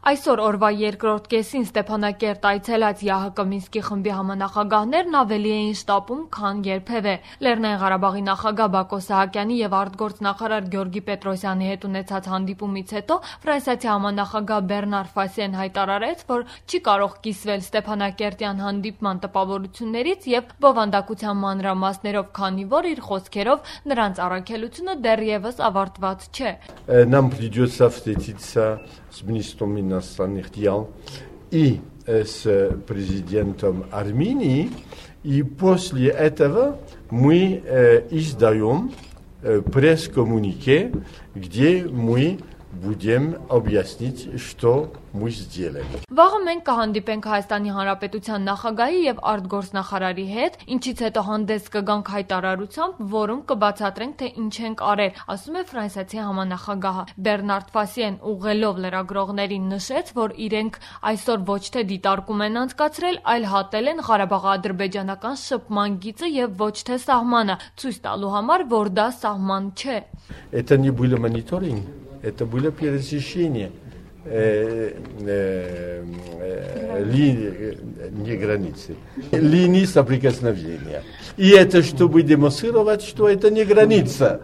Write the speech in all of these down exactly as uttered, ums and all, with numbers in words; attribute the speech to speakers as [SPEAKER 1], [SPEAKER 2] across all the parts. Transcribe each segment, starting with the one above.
[SPEAKER 1] Այսօր օրվա երկրորդ կեսին Ստեփանակերտ այցելած ԵԱՀԿ Մինսկի խմբի համանախագահներն ավելի էին շտապում, քան երբևէ։ Լեռնային Ղարաբաղի նախագահ Բակո Սահակյանի եւ արտգործնախարար Գյորգի Պետրոսյանի հետ ունեցած հանդիպումից հետո ֆրանսիացի համանախագահ Բեռնար Ֆասիեն հայտարարեց, որ չի կարող կիսվել Ստեփանակերտյան հանդիպման տպավորություններից եւ բովանդակության մանրամասներով, քանի որ իր խոսքերով նրանց առաքելությունը դեռևս ավարտված չէ։
[SPEAKER 2] Нам придется встретиться с министром иностранных дел и с президентом Армении, и после этого мы издаем пресс-коммунике, где мы будем объяснить, что мы сделали.
[SPEAKER 1] Վաղը մենք կհանդիպենք Հայաստանի Հանրապետության նախագահի եւ արտգործնախարարի հետ, ինչից հետո հանդես կգանք հայտարարությամբ, որում կբացատրենք, թե ինչ ենք արել, ասում է ֆրանսիացի համանախագահը։ Բեռնարդ Ֆասիեն ուղղելով լրագրողներին նշեց, որ իրենք այսօր ոչ թե դիտարկում են անցկացրել, այլ հատել են Ղարաբաղ-ադրբեջանական շփման գիծը եւ ոչ թե սահմանը, ցույց տալու համար, որ դա սահման չէ։
[SPEAKER 2] Это не было мониторинг, это было пересечение линии, не границы, линии соприкосновения. И это чтобы демонстрировать, что это не граница.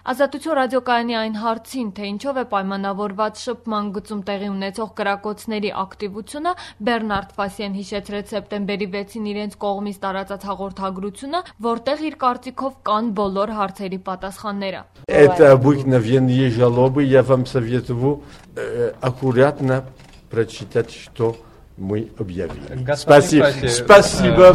[SPEAKER 1] Ազատություն ռադիոկայանի այն հարցին, թե ինչով է պայմանավորված շփման գծում տեղի ունեցող կրակոցների ակտիվությունը, Բեռնարդ Ֆասիեն հիշեցրեց սեպտեմբերի վեցին իրենց կողմից տարածած հաղորդագրությունը, որտեղ իր կարծիքով կան բոլոր հարցերի պատասխանները։
[SPEAKER 2] Это обыкновенные жалобы, я вам советую аккуратно прочитать, что мы объявили. Спасибо. Спасибо.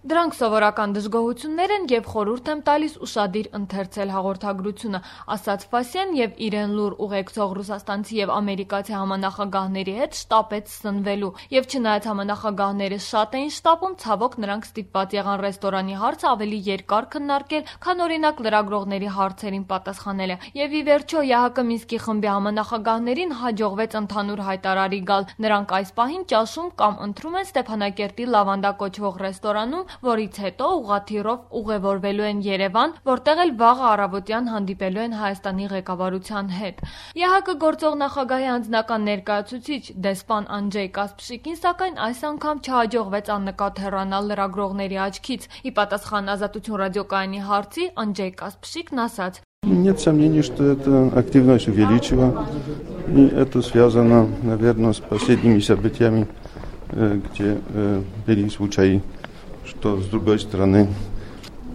[SPEAKER 1] Դրանք սովորական դժգոհություններ են եւ խորհուրդ եմ տալիս ուշադիր ընթերցել հաղորդագրությունը, ասաց Ֆասիեն եւ իրեն լուր ուղեկցող ռուսաստանցի եւ ամերիկացի համանախագահների հետ շտապեց սնվելու։ Եվ չնայած համանախագահները շատ էին շտապում, ցավոք նրանք ստիպված եղան ռեստորանի հարցը ավելի երկար քննարկել, քան օրինակ լրագրողների հարցերին պատասխանելը։ Եվ ի վերջո ԵԱՀԿ Մինսկի խմբի համանախագահներին հաջողվեց ընդհանուր հայտարարի գալ։ Նրանք այս պահին ճաշում կամ ընթրում են Ստեփանակերտի Լավանդա կոչվող ռեստորանում, որից հետո ուղղաթիռով ուղևորվելու են Երևան, որտեղ էլ վաղը առավոտյան հանդիպելու են Հայաստանի ղեկավարության հետ։ ԵԱՀԿ գործող նախագահի անձնական ներկայացուցիչ դեսպան Անջեյ Կասպշիկին սակայն այս անգամ չհաջողվեց աննկատ հեռանալ լրագրողների աչքից։ Ի պատասխան Ազատություն ռադիոկայանի հարցի Անջեյ Կասպշիկն ասաց.
[SPEAKER 3] Нет сомнений, что эта активность увеличила, и это связано, наверное, с последними событиями, где были случаи, что с другой стороны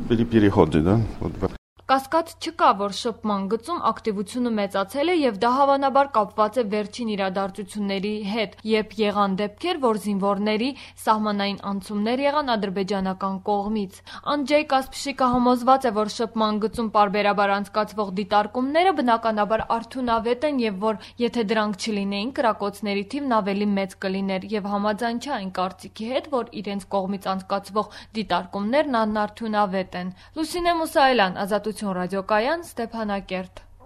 [SPEAKER 3] были переходы, да? Вот.
[SPEAKER 1] Կասկած չկա, որ շփման գծում ակտիվությունը մեծացել է եւ դա հավանաբար կապված է վերջին իրադարձությունների հետ, երբ եղան դեպքեր, որ զինվորների սահմանային անցումներ եղան ադրբեջանական կողմից։ Անջեյ Կասպշիկը համոզված է, որ շփման գծում պարբերաբար անցկացվող դիտարկումները բնականաբար արդյունավետ են եւ որ եթե դրանք չլինեին, կրակոցների թիվն ավելի մեծ կլիներ եւ համաձայն չէ այն կարծիքի հետ, որ իրենց կողմից անցկացվող դիտարկումներն անարդյունավետ են։ Լուսինե Մուսայելյան, Ազատություն ռադիոկայան, Ստեփանակերտ։